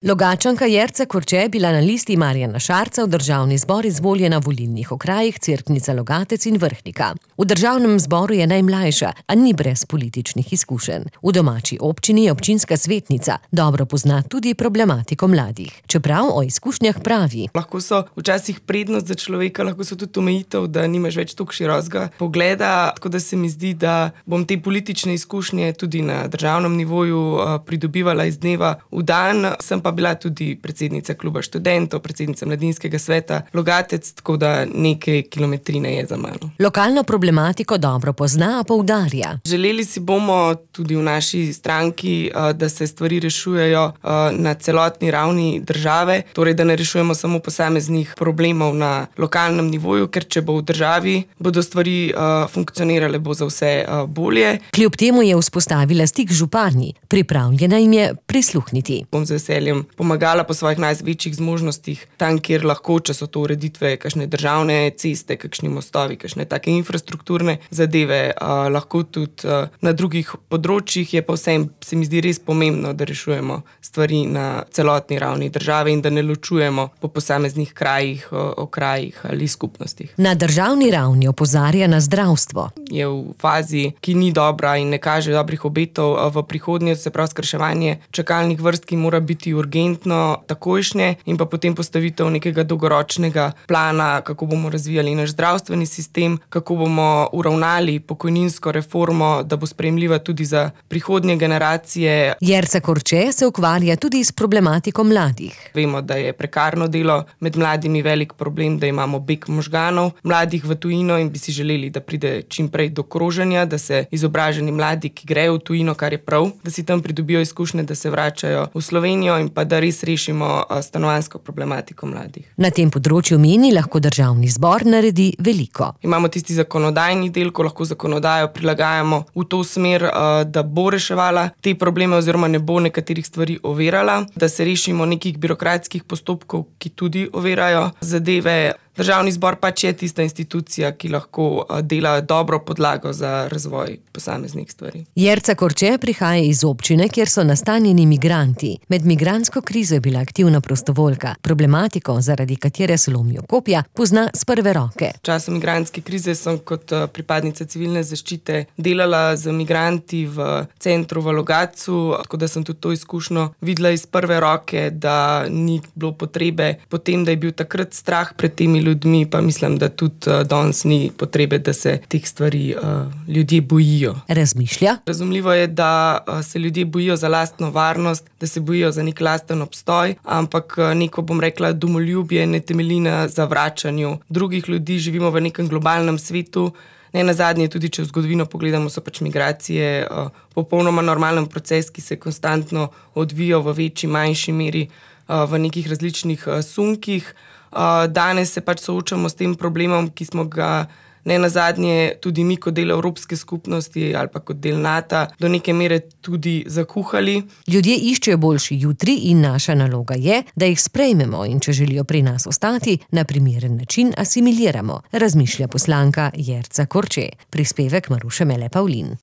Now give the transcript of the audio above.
Logatčanka Jerca Korče je bila na listi Marjana Šarca v državni zbor izvoljena v volilnih okrajih Cerknica, Logatec in Vrhnika. V državnem zboru je najmlajša, a ni brez političnih izkušenj. V domači občini je občinska svetnica, dobro pozna tudi problematiko mladih. Čeprav o izkušnjah pravi: Lahko so včasih prednost za človeka, lahko so tudi omejitev, da nimaš več toliko širokega pogleda, tako da se mi zdi, da bom te politične izkušnje tudi na državnem nivoju pridobivala iz dneva v dan. Sem pa bila tudi predsednica kluba študentov, predsednica mladinskega sveta Logatec, tako da nekaj kilometrine je za mano. Lokalno problematiko dobro pozna, poudarja. Želeli si bomo tudi v naši stranki, da se stvari rešujejo na celotni ravni države, torej da ne rešujemo samo posameznih problemov na lokalnem nivoju, ker če bo v državi, bodo stvari funkcionirale, bo za vse bolje. Kljub temu je vzpostavila stik z župani, pripravljena jim je prisluhniti. Bom z veseljem pomagala po svojih največjih zmožnostih, tam, kjer lahko, če so to ureditve, kakšne državne ceste, kakšni mostovi, kakšne take infrastrukturne zadeve, lahko tudi na drugih področjih, je pa vsem, se mi zdi res pomembno, da rešujemo stvari na celotni ravni države in da ne ločujemo po posameznih krajih, okrajih ali skupnostih. Na državni ravni opozarja na zdravstvo. Je v fazi, ki ni dobra in ne kaže dobrih obetov v prihodnje, se pravi skrajševanje čakalnih vrst, ki mora biti urgentno, takojšnje, in pa potem postavitev nekega dolgoročnega plana, kako bomo razvijali naš zdravstveni sistem, kako bomo uravnali pokojninsko reformo, da bo sprejemljiva tudi za prihodnje generacije. Jerca Korče se ukvarja tudi s problematiko mladih. Vemo, da je prekarno delo med mladimi velik problem, da imamo beg možganov mladih v tujino in bi si želeli, da pride čim prej do kroženja, da se izobraženi mladi, ki grejo v tujino, kar je prav, da si tam pridobijo izkušnje, da se vračajo v Slovenijo in pa da res rešimo stanovanjsko problematiko mladih. Na tem področju meni, lahko državni zbor naredi veliko. Imamo tisti zakonodajni del, ko lahko zakonodajo prilagajamo v to smer, da bo reševala te probleme oziroma ne bo nekaterih stvari ovirala, da se rešimo nekih birokratskih postopkov, ki tudi ovirajo zadeve. Državni zbor pač je tista institucija, ki lahko dela dobro podlago za razvoj posameznih stvari. Jerca Korče prihaja iz občine, kjer so nastanjeni migranti. Med migrantsko krizo je bila aktivna prostovoljka. Problematiko, zaradi katere se lomijo kopja, pozna s prve roke. V času migrantske krize sem kot pripadnica civilne zaščite delala z migranti v centru v Logatcu, tako da sem tudi to izkušnjo videla iz prve roke, da ni bilo potrebe potem, da je bil takrat strah pred temi ljudmi, pa mislim, da tudi danes ni potrebe, da se teh stvari ljudje bojijo. Razmišlja? Razumljivo je, da se ljudje bojijo za lastno varnost, da se bojijo za nek lasten obstoj, ampak neko, bom rekla, domoljubje ne temelji na zavračanju drugih ljudi, živimo v nekem globalnem svetu. Ne nazadnje, tudi če v zgodovino pogledamo, so pač migracije popolnoma normalen proces, ki se konstantno odvija v večji, manjši meri v nekih različnih sunkih. Danes se pač soočamo s tem problemom, ki smo ga ne nazadnje tudi mi kot del Evropske skupnosti ali pa kot del NATO do neke mere tudi zakuhali. Ljudje iščejo boljši jutri in naša naloga je, da jih sprejmemo in če želijo pri nas ostati, na primeren način asimiliramo, razmišlja poslanka Jerca Korče. Prispevek Maruše Mele Pavlin.